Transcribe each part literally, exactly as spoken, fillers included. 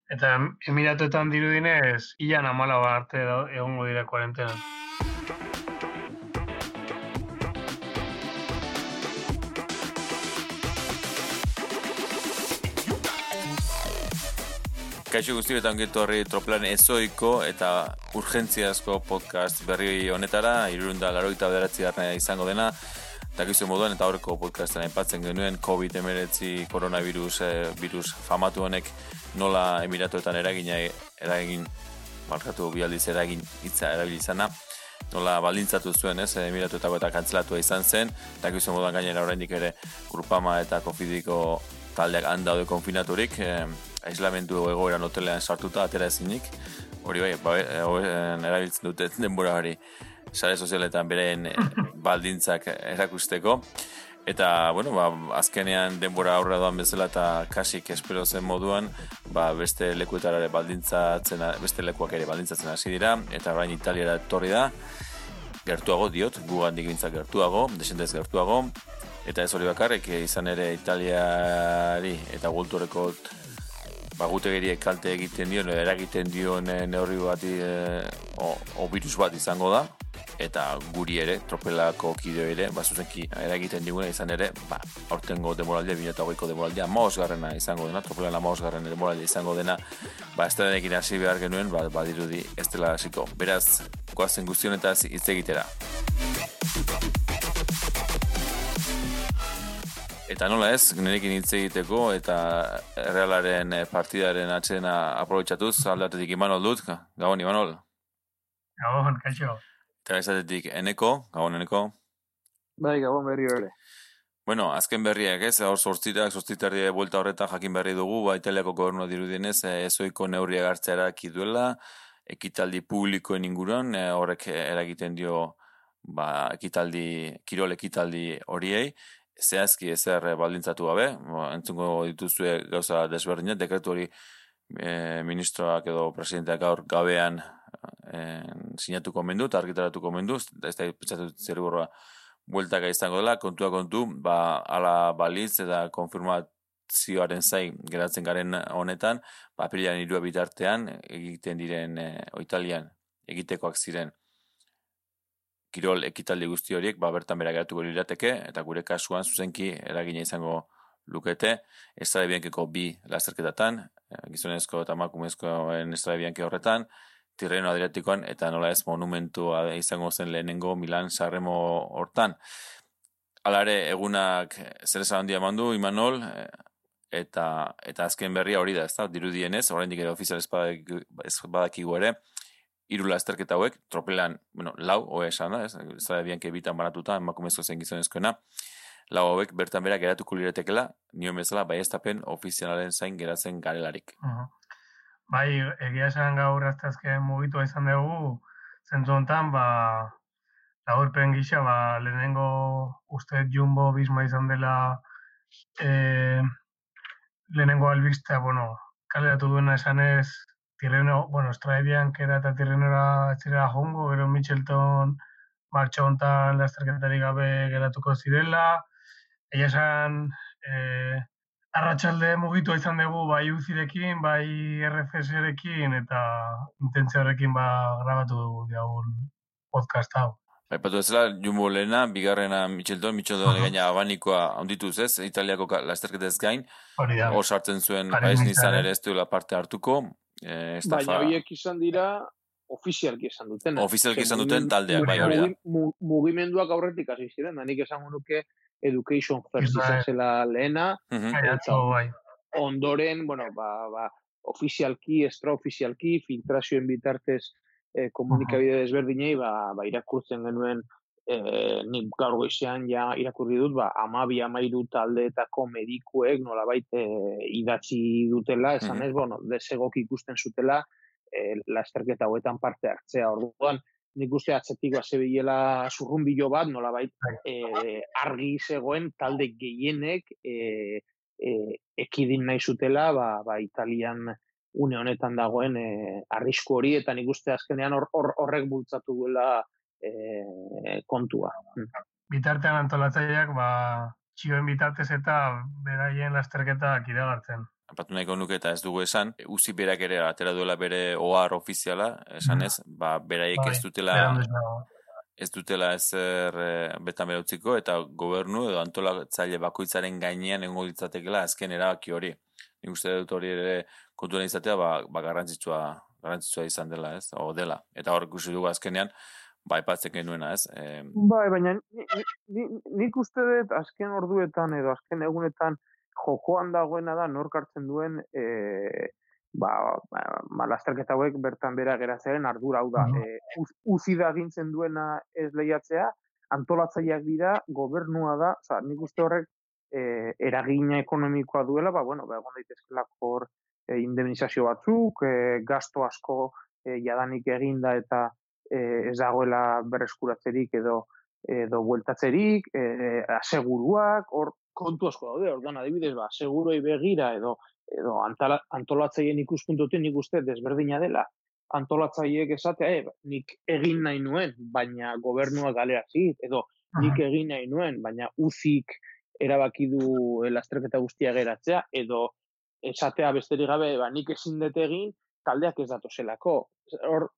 Eta Emiratuetan dirudinez, ilan hamalau arte egongo dira kuarentenan. Kaixo guztietan ongitu horri Troplan ezoiko eta urgentziazko podcast berri honetara, irurunda laroita bederatzi garnea izango dena, dakizu moduan eta horreko podcasten aipatzen genuen covid hemeretzi koronavirus eh, virus famatu honek nola Emiratuetan eragina eragin markatu bialdiz eragin hitza erabilizana, nola baldintzatu zuen, ez, Emiratuetako eta kantzelatua izan zen, dakizu moduan gainera oraindik ere Grupama eta Kofidiko taldeak han daude konfinaturik, eh, aislamentu egoeran hotelean sartuta atera ezinik, hori bai, ba, erabiltzen dute denbora hori sare sozialetan beren baldintzak erakusteko, eta, bueno, ba, azkenean denbora aurra doan bezala eta kasik espero zen moduan, ba, beste lekuetara ere baldintzatzen, beste lekuak ere baldintzatzen hasi dira, eta orain Italiara etorri da, gertuago diot, gugandik bintzak gertuago, desentez gertuago, eta ez hori bakarrik, izan ere Italiari eta gultureko bagutegeriek kalte egiten dion, eragiten dion neurri bati e, o, o virus bat izango da, eta guri ere, Tropelako kideo ere, ba, zuzenki eragiten diguna izan ere, ba, aurtengo demoraldia, bi mila hogeiko demoraldia, hamabosgarrena izango dena, Tropelan hamabosgarren demoraldia izango dena, ba, estrenekin hasi behar genuen, ba, badirudi ez dela hasiko. Beraz, goazen guztionetaz hitz egitera. Eta nola ez, nirekin hitz egiteko eta Realaren partidaren atzena aprobetxatuz, aldatetik Imanol dut, Gabon Imanol. Gabon, kaixo. Eta ezatetik Eneko, Gabon Eneko. Bai, Gabon berri hori. Bueno, azken berriak ez, hor sortzitak, sortzitarri buelta horretan jakin berri dugu, ba, Italiako gobernua dirudienez, ezoiko neurriak hartzea eraki duela, ekitaldi publikoen inguruan, horrek eragiten dio, ba, ekitaldi, kirol ekitaldi horiei, zehazki ezer baldintzatu gabe, entzungo dituzue gauza desberdinak, dekretu hori e, ministroak edo presidenteak gaur gabean e, sinatuko mendu, eta argitaratuko mendu, ez da pentsatu zerburra bueltaka izango dela, kontua kontu, ba, ala balitz eta konfirmazioaren zain geratzen garen honetan, ba, apirilean hirua bitartean egiten diren e, Italian egitekoak ziren kirol ekitaldi guzti horiek, ba, bertan bera geratuko lirateke, eta gure kasuan zuzenki eragina izango lukete, estrade biankeko bi lasterketatan, gizonezko eta emakumezkoen estrade bianke horretan, Tirreno Adriatikoan, eta nola ez monumentua izango zen lehenengo Milan Sanremo hortan. Hala ere, egunak zer esan handia mandu, Imanol, eta, eta azken berria hori da, ez da, dirudienez, oraindik ere ofizial ez badakigu ere, hiru lasterketa hauek, Tropelan, bueno, lau, hoe esan da, ez, zara bianke bitan banatuta, emakumezko zen gizonezkoena, lau hauek bertan bera geratuko liretekela, nioen bezala, bai estapen ofizialaren zain geratzen garelarik. Uh-huh. Bai, egia esan gaur aztazken mugitua izan dugu, zentzu honetan, ba, laurpen gisa, ba, lehenengo uste Jumbo Visma izan dela, e, lehenengo albistea, bueno, kaleratu duena esanez, Tirreno, bueno, Estrade Bianchera eta Tirrenora etzera jongo, gero Mitchelton martxo hontan lasterketarik gabe geratuko zirela. Egia esan, eh, arratsalde mugitua izan dugu bai U C I-rekin, bai R F S-rekin, eta intentzio horrekin ba grabatu dugu diagun podcast hau. Aipatu ezela, Jumbo lehena, bigarrena Mitchelton, Mitchelton gaina abanikoa ondituz ez, Italiako lasterketez gain, hor sartzen zuen Paris Nizan ere ez duela parte hartuko, Eh, baina horiek izan dira ofizialki esan duten. Ofizialki izan duten taldeak, bai hori da. Mugimenduak aurretik hasi ziren, da nik esango nuke Education First izan zela lehena, eta ondoren, bueno, ba, ba, ofizialki, extraofizialki, filtrazioen bitartez eh, komunikabide desberdinei, ba, ba, irakurtzen genuen, eh, nik gaur goizean ja irakurri dut, ba, amabi amairu taldeetako medikuek nolabait eh, idatzi dutela, esan ez, bueno, desegok ikusten zutela eh, lasterketa hauetan parte hartzea. Orduan, nik uste atzetik bazebilela zurrumbilo bat, nolabait eh, argi zegoen talde gehienek eh, eh, ekidin nahi zutela, ba, ba, Italian une honetan dagoen eh, arrisku hori, eta nik uste azkenean hor, hor, horrek bultzatu duela E, kontua. Bitartean antolatzaileak, ba, txioen bitartez eta beraien lasterketak iragartzen. apatu nahiko nuke eta ez dugu esan, uzi berak ere atera duela bere ohar ofiziala, esan ez, ba, beraiek ez dutela ez dutela ezer e, betan bera utziko, eta gobernu edo antolatzaile bakoitzaren gainean egongo ditzatekela azken erabaki hori. Nik uste dut hori ere kontuan izatea, ba, ba garrantzitsua, garrantzitsua izan dela, ez, o dela. Eta hor ikusi dugu azkenean, ba, aipatzen genuena, ez. E... Bai, baina nik uste dut azken orduetan edo azken egunetan jokoan dagoena da nork hartzen duen e, ba, ba, lasterketa hauek bertan bera geratzearen ardura hau da. E, uz, uzi da gintzen duena ez lehiatzea, antolatzaileak dira, gobernua da, oza, nik uste horrek e, eragina ekonomikoa duela, ba, bueno, ba, egon daitezkelak hor e, indemnizazio batzuk, e, gasto asko e, jadanik eginda eta e, ez dagoela berreskuratzerik edo edo bueltatzerik, e, aseguruak, hor kontu asko daude, orduan adibidez, ba, seguroi begira edo edo antala, antolatzaileen ikuspuntutik nik uste desberdina dela. Antolatzaileek esatea, e, nik egin nahi nuen, baina gobernua galerazi, edo nik egin nahi nuen, baina uzik erabaki du lasterketa guztia geratzea, edo esatea besterik gabe, ba, nik ezin dut egin, taldeak ez datozelako. Hor,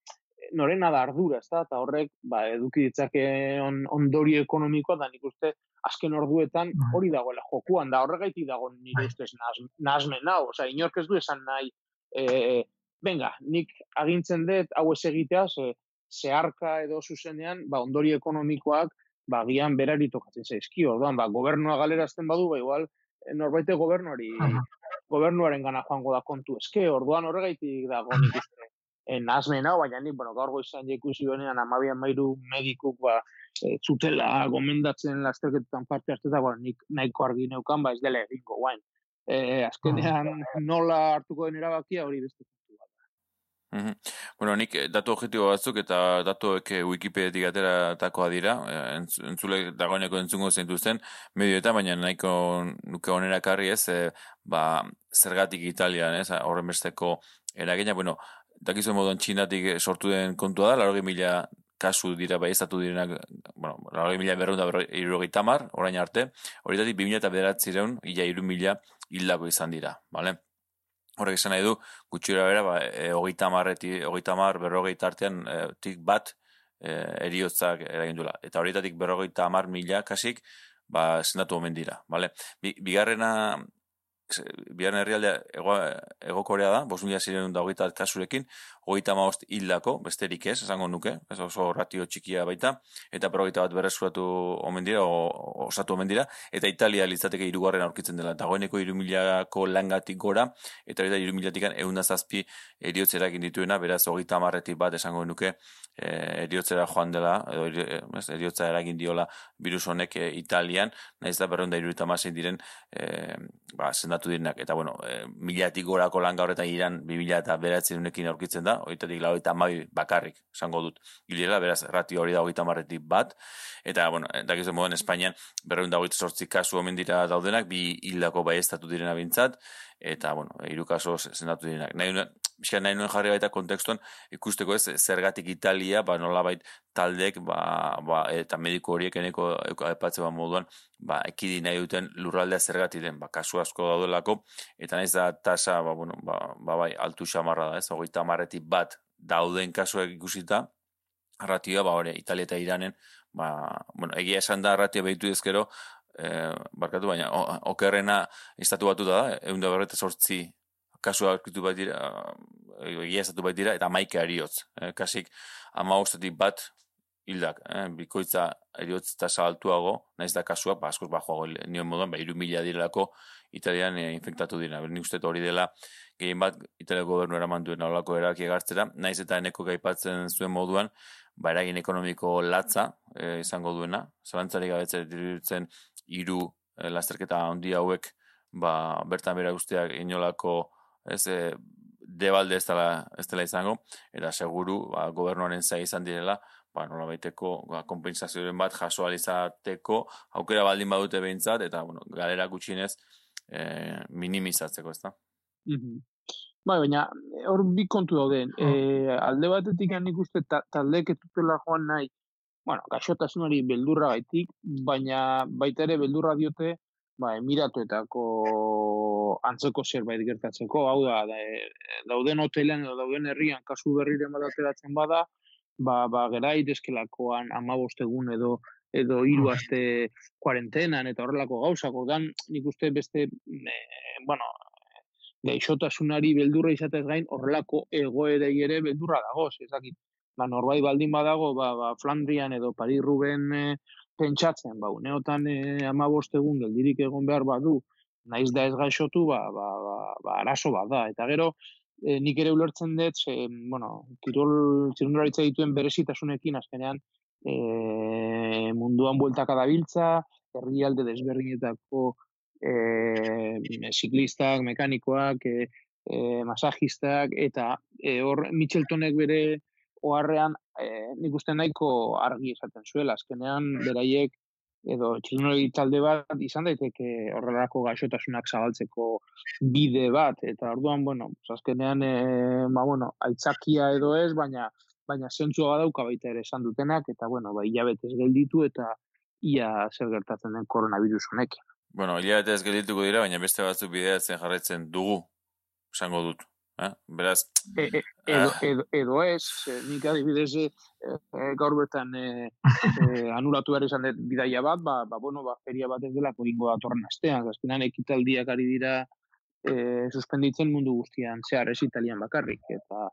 norena da ardura, ez da, eta horrek ba, eduki ditzake on, ondorio ekonomikoa, da nik uste azken orduetan hori dagoela jokuan, da horregaitik dago nire ustez nahazmen hau, oza, inork ez du esan nahi, e, venga, nik agintzen dut hau ez egitea, ze, zeharka edo zuzenean, ba, ondorio ekonomikoak, ba, gian berari tokatzen zaizkio, orduan, ba, gobernua galerazten badu, ba, igual, norbaite gobernuari, gobernuaren gana joango da kontu eske, orduan horregaitik dago nik uste. Nahazmen hau, baina nik, bueno, gaur goizan ikusi benean amabian mairu medikuk, ba, e, zutela gomendatzen lasterketetan parte hartu eta, bueno, nik nahiko argi neukan, ba, ez dela egingo, guain. E, azkenean nola hartuko den erabakia hori beste kontu bat. Mm-hmm. Bueno, nik datu objektibo batzuk eta datuek Wikipediatik ateratakoa dira, entzule dagoeneko entzungo zeintuzten medioetan, baina nahiko nuke onera karri ez, e, ba, zergatik Italian, ez, horren besteko eragina, bueno, dakizuen moduan Txinatik sortu den kontua da, laurogei mila kasu dira bai estatu direnak, bueno, laurogei mila berreunda irurogei tamar, orain arte, horietatik bi mila eta bederatzireun, ila iru mila hildako izan dira, bale? Horrek esan nahi du, gutxira bera, ba, e, hogeita marretik, hogeita mar, berrogei tartean, e, tik bat e, eriotzak eragindula. Eta horietatik berrogeita mar mila kasik, ba, sendatu omen dira, bale? Bi, bigarrena, bigarren herrialdea ego, ego Korea da, bost mila ziren da hogeita kasurekin, hogeita maost hildako, besterik ez, esango nuke, ez oso ratio txikia baita, eta berrogeita bat berresuratu omen dira, o, osatu omen dira, eta Italia litzateke hirugarren aurkitzen dela, dagoeneko hiru milako langatik gora, eta hori da hiru milatikan ehun zazpi eriotzera egin dituena, beraz hogeita marretik bat esango nuke, e, eriotzera joan dela, edo eriotza eragin diola virus honek e, Italian, nahiz da berreunda hirurogeita hamasei diren, e, ba, sendatu direnak, eta bueno, e, milatik gorako langa horretan iran, bi mila eta bederatzirenekin aurkitzen da, horietatik lau eta hamabi bakarrik, esango dut, hilera, beraz, ratio hori da hogeita marretik bat, eta, bueno, dakizuen moduan, Espainian, berreunda hogeita sortzi kasu omen dira daudenak, bi hildako bai estatu direna bintzat, eta, bueno, hiru kaso sendatu direnak. Nahi, bizka, nahi nuen jarri baita kontekstuan, ikusteko ez, zergatik Italia, ba, nolabait taldek, ba, ba, eta mediko horiek eneko epatze bat moduan, ba, ekidi nahi duten lurraldea zergatik den, ba, kasu asko daudelako, eta nahiz da tasa, ba, bueno, ba, ba, bai, altu xamarra da, ez, hogeita marretik bat dauden kasuak ikusita, ratioa, ba, hori, Italia eta Iranen, ba, bueno, egia esan da ratioa behitu ezkero, eh, barkatu, baina, okerrena estatu batu da, egun da berreta sortzi kasua aurkitu bat dira, egia estatu bat dira, eta maike ariotz, eh, kasik ama ostetik bat hildak, eh, bikoitza eriotz tasa altuago, naiz da kasua, ba, askoz bajoago nioen moduan, ba, iru mila direlako Italian eh, infektatu dira. Nik uste hori dela, gehien bat, Italia gobernu eraman duen aholako eraki egartzera, naiz eta eneko gaipatzen zuen moduan, ba, eragin ekonomiko latza eh, izango duena, zalantzari gabetzen dirutzen hiru eh, lasterketa handi hauek, ba, bertan bera guztiak inolako, ez, eh, debalde ez dela, ez dela izango, eta seguru, ba, gobernuaren zai izan direla, ba, nola baiteko, ba, kompensazioen bat jaso alizateko, aukera baldin badute behintzat, eta, bueno, galera gutxienez, eh, minimizatzeko, ez da? Mm-hmm. Bai, baina, hor bi kontu dauden, e, alde batetik nik uste ta, taldeek ez dutela joan nahi, bueno, gaixotasunari beldurra gaitik, baina baita ere beldurra diote, ba, Emiratuetako antzeko zerbait gertatzeko, hau da, dauden hotelean edo dauden herrian kasu berriren bat ateratzen bada, ba, ba gera daitezkelakoan hamabost egun edo edo hiru aste kuarentenan eta horrelako gauzak, ordan nik uste beste, e, bueno, gaixotasunari beldurra izatez gain horrelako egoerei ere beldurra dagoz, ez dakit. Ba, norbait baldin badago, ba, ba, Flandrian edo Paris-Roubaix e, pentsatzen, ba, uneotan hamabost egun geldirik egon behar badu, naiz da ez gaixotu, ba, ba, ba, ba arazo bat da. Eta gero, e, nik ere ulertzen dut, ze, bueno, kirol txirrindularitza dituen berezitasunekin, azkenean, e, munduan bueltaka dabiltza, herrialde desberdinetako e, ziklistak, mekanikoak, e, e, masajistak, eta e, hor Mitcheltonek bere oharrean e, nik uste nahiko argi esaten zuela, azkenean beraiek edo txirrindulari talde bat izan daiteke horrelako gaixotasunak zabaltzeko bide bat, eta orduan, bueno, azkenean, e, ba, bueno, aitzakia edo ez, baina baina zentzua badauka baita ere esan dutenak, eta, bueno, ba, hilabetez gelditu, eta ia zer gertatzen den koronavirus honekin. Bueno, hilabetez geldituko dira, baina beste batzuk bideatzen jarraitzen dugu, esango dut. Eh? Beraz... E, e, edo, edo, edo ez, nik adibidez e, e, gaur bertan e, e, anulatu behar izan dut bidaia bat, ba, ba, bueno, ba, feria bat ez delako ingo datorren astean, azkenan ekitaldiak ari dira e, suspenditzen mundu guztian, zehar ez Italian bakarrik, eta,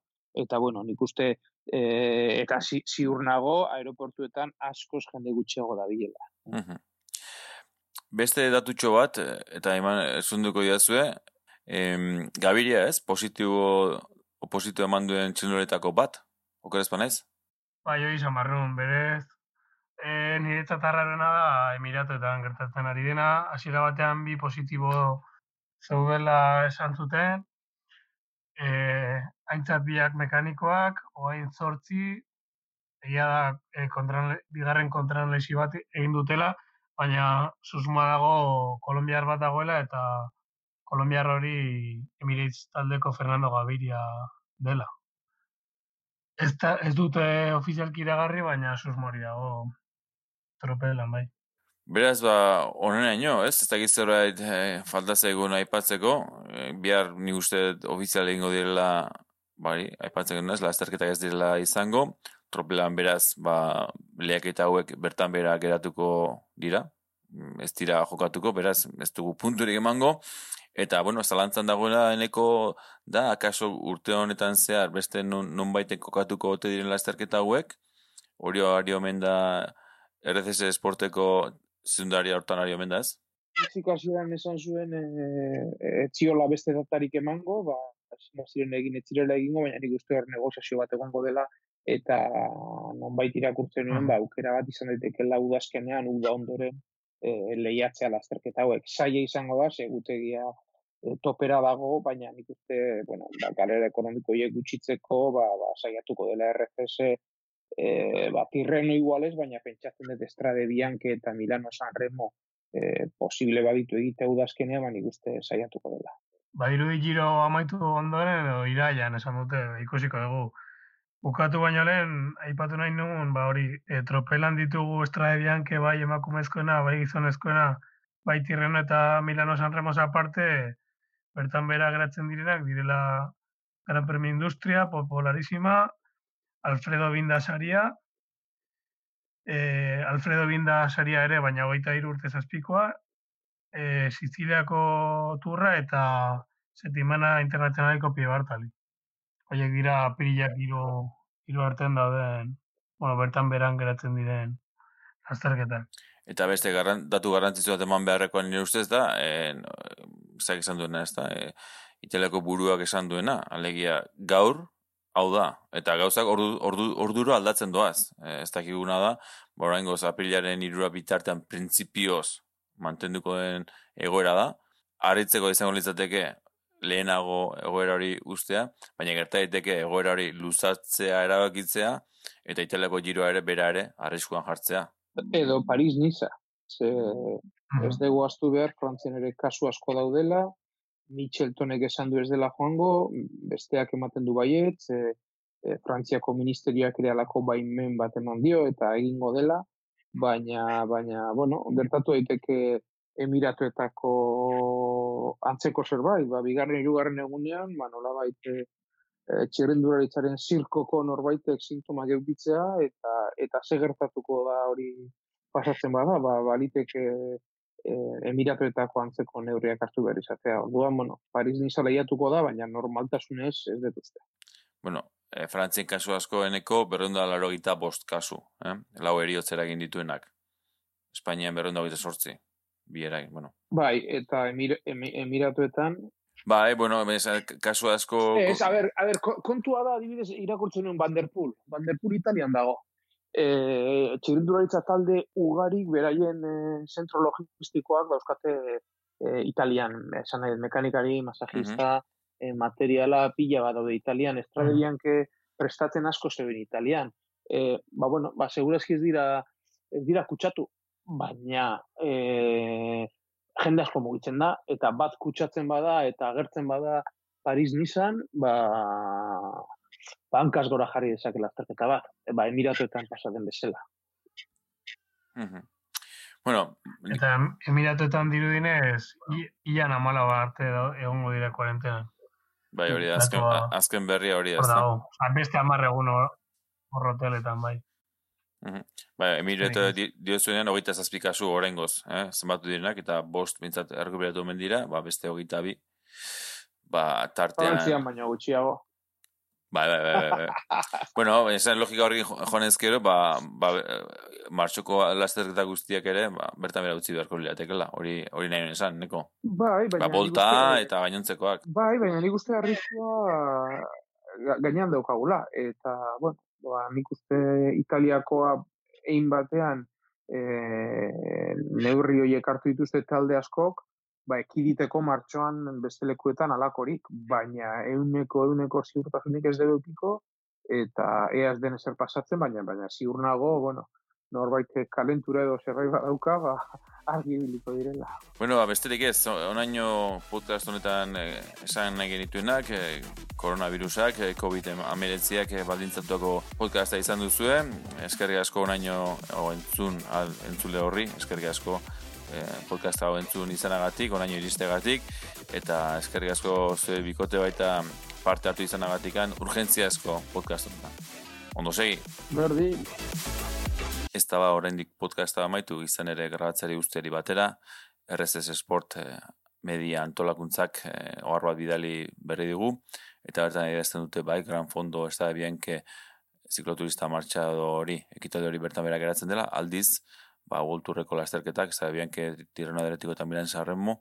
eta bueno, nik uste, e, eta zi, ziur nago, aeroportuetan askoz jende gutxiago da bilela. Uh-huh. Beste datutxo bat, eta eman esunduko diazue, Em, Gabiria ez, positibo, positibo eman duen txirrinduletako bat, okerez panaiz? Bai, hori izan barrun, berez, e, niretzat arrarena da Emiratuetan gertatzen ari dena, hasiera batean bi positibo zeudela esan zuten, e, aintzat biak mekanikoak, oain zortzi, egia da, e, kontran, bigarren kontran lesi bat egin dutela, baina susma dago kolombiar bat dagoela, eta kolombiar hori Emirates taldeko Fernando Gaviria dela. Ez, ta, ez dute ofizialki iragarri, baina susmori dago tropelan, bai. Beraz, ba, honenaino, ez? Ez dakiz zerbait eh, falta zaigun aipatzeko, eh, bihar nik uste ofizial egingo direla, bari, aipatzeko ez, lasterketak ez direla izango, tropelan beraz, ba, lehiaketa hauek bertan bera geratuko dira, ez dira jokatuko, beraz, ez dugu punturik emango, eta, bueno, zalantzan dagoela eneko da, akaso urte honetan zehar, beste non, non baiten kokatuko ote diren lasterketa hauek, hori ari omen da R C S Esporteko zundaria hortan ari omen da ez? Zikazioan esan zuen e, e, etziola beste datarik emango, ba, ziren egin, etzirela egingo, baina nik uste hor negoziazio bat egongo dela, eta nonbait irakurtzen nuen, ba, aukera bat izan daitekeela udazkenean, uda ondoren, e, lehiatzea lasterketa hauek. Zaila izango da, segutegia e, topera dago, baina nik uste, bueno, ba, galera ekonomiko hiek gutxitzeko, ba, ba, saiatuko dela R C S e, ba, Tirreno iguales, baina pentsatzen dut Estrade Bianche eta Milano Sanremo e, posible baditu egitea udazkenean, ba, nik uste saiatuko dela. Badirudi giro amaitu ondoren edo iraian esan dute, ikusiko dugu. Bukatu baino lehen, aipatu nahi nuen, ba hori, e, tropelan ditugu Estrade Bianche bai emakumezkoena, bai gizonezkoena, bai Tirreno eta Milano Sanremo aparte, bertan bera geratzen direnak, direla Gran Premio Industria, Popularísima, Alfredo Binda saria, e, Alfredo Binda saria ere, baina hogeita hiru urte zazpikoa, e, Siziliako turra eta Setimana Internazionaleko Pie Bartali. Horiek dira apirilak hiru hiru artean dauden, bueno, bertan beran geratzen diren azterketak. Eta beste garran, datu garrantzitsu bat eman beharrekoan nire ustez da, e, zak esan duena ez da, e, Italiako buruak esan duena, alegia gaur, hau da, eta gauzak ordu, ordu, orduro aldatzen doaz. E, ez dakiguna da, oraingoz apirilaren hirura bitartean printzipioz mantenduko den egoera da, harritzeko izango litzateke lehenago egoera hori ustea, baina gerta daiteke egoera hori luzatzea erabakitzea, eta Italiako giroa ere bera ere arriskuan jartzea. Edo Paris-Niza. Ze ez dugu astu behar, Frantzian ere kasu asko daudela, Mitcheltonek esan du ez dela joango, besteak ematen du baiet, e, e, Frantziako ministerioak ere alako baimen bat eman dio, eta egingo dela, baina, baina, bueno, gertatu daiteke Emiratuetako antzeko zerbait, ba, bigarren hirugarren egunean, ba, nolabait e, txirrindularitzaren zirkoko norbaitek sintomak eukitzea, eta eta ze gertatuko da hori pasatzen bada, ba, baliteke e, Emiratuetako antzeko neurriak hartu behar izatea. Orduan, bueno, Paris Niza lehiatuko da, baina normaltasunez ez dut uste. Bueno, e, Frantzien kasu asko eneko berreunda laro gita bost kasu, eh? Lau eriotzera egin dituenak. Espainian berreunda gita sortzi, bi eragin, bueno. Bai, eta emir, em, Emiratuetan... Bai, bueno, ez, kasu asko... Ez, a ber, a ber, kontua da, adibidez, irakurtzen nuen Van der Poel. Van der Poel Italian dago. E, txirrindularitza talde ugarik beraien e, zentro logistikoak dauzkate e, Italian, esan nahi, mekanikari, masajista, uh-huh. e, materiala pila bat daude Italian, estrategian que prestatzen asko zeben Italian. E, ba, bueno, ba, segurazki ez dira, ez dira kutsatu, baina e, jende asko mugitzen da, eta bat kutsatzen bada, eta agertzen bada Paris Nizan, ba... bankaz gora jarri dezakela azterketa bat, ba, Emiratuetan pasaten bezala. Uh-huh. Bueno, eta Emiratuetan dirudinez, ian amala arte egongo dira kuarentena. Bai, hori da, azken, azken berria hori da. Hor beste amarre egun horroteletan, bai. Uh-huh. Bai, Emiratu diozuenean hogeita zazpikazu horrengoz, eh? Zenbatu direnak, eta bost bintzat errekuperatu omen dira, ba, beste hogeita bi, ba, tartean... Frantzian baina gutxiago. Bai, bai, bai, bai. Bueno, esan logika horrekin joanezkero, ba, ba, martxoko lasterketa guztiak ere, ba, bertan bera utzi beharko liatekela, hori, hori nahi esan, neko? Bai, baina... Ba, bolta eta gainontzekoak. Bai, baina nik uste arriskua gainean daukagula, eta, bueno, ba, nik uste Italiakoa egin batean e, neurri horiek hartu dituzte talde askok, ba, ekiditeko martxoan beste lekuetan alakorik, baina euneko, euneko ziurtasunik ez debekiko, eta eaz den ezer pasatzen, baina, baina ziur nago, bueno, norbait kalentura edo zerbait badauka, ba, argi biliko direla. Bueno, ba, besterik ez, onaino podcast honetan eh, esan nahi genituenak, eh, koronavirusak, eh, covid hemeretziak eh, baldintzatuako podcasta izan duzue, eskerrik asko onaino o, entzun, al, entzule horri, eskerrik asko podcast hau entzun izanagatik, oraino iristegatik, eta eskerrik asko zure bikote baita parte hartu izanagatikan urgentziazko podcast honetan. Ondo segi? Berdi. Ez da ba oraindik podcasta amaitu izan ere grabatzari guztiari batera, R S S Sport eh, media antolakuntzak eh, ohar bat bidali berri dugu, eta bertan idazten dute bai, Gran Fondo ez da bien que zikloturista martxado hori, ekitaldi hori bertan bera geratzen dela, aldiz, ba, Worldtourreko lasterketak, ez da bien que Tirreno Adriatiko eta Milan Sanremo,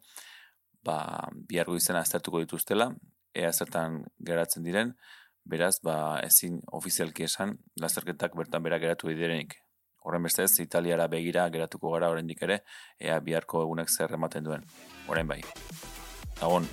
ba, bihargo izena aztertuko dituztela, ea zertan geratzen diren, beraz, ba, ezin ofizialki esan, lasterketak bertan bera geratu direnik. Horren bestez, Italiara begira geratuko gara oraindik ere, ea biharko egunek zer ematen duen. Orain bai. Agon.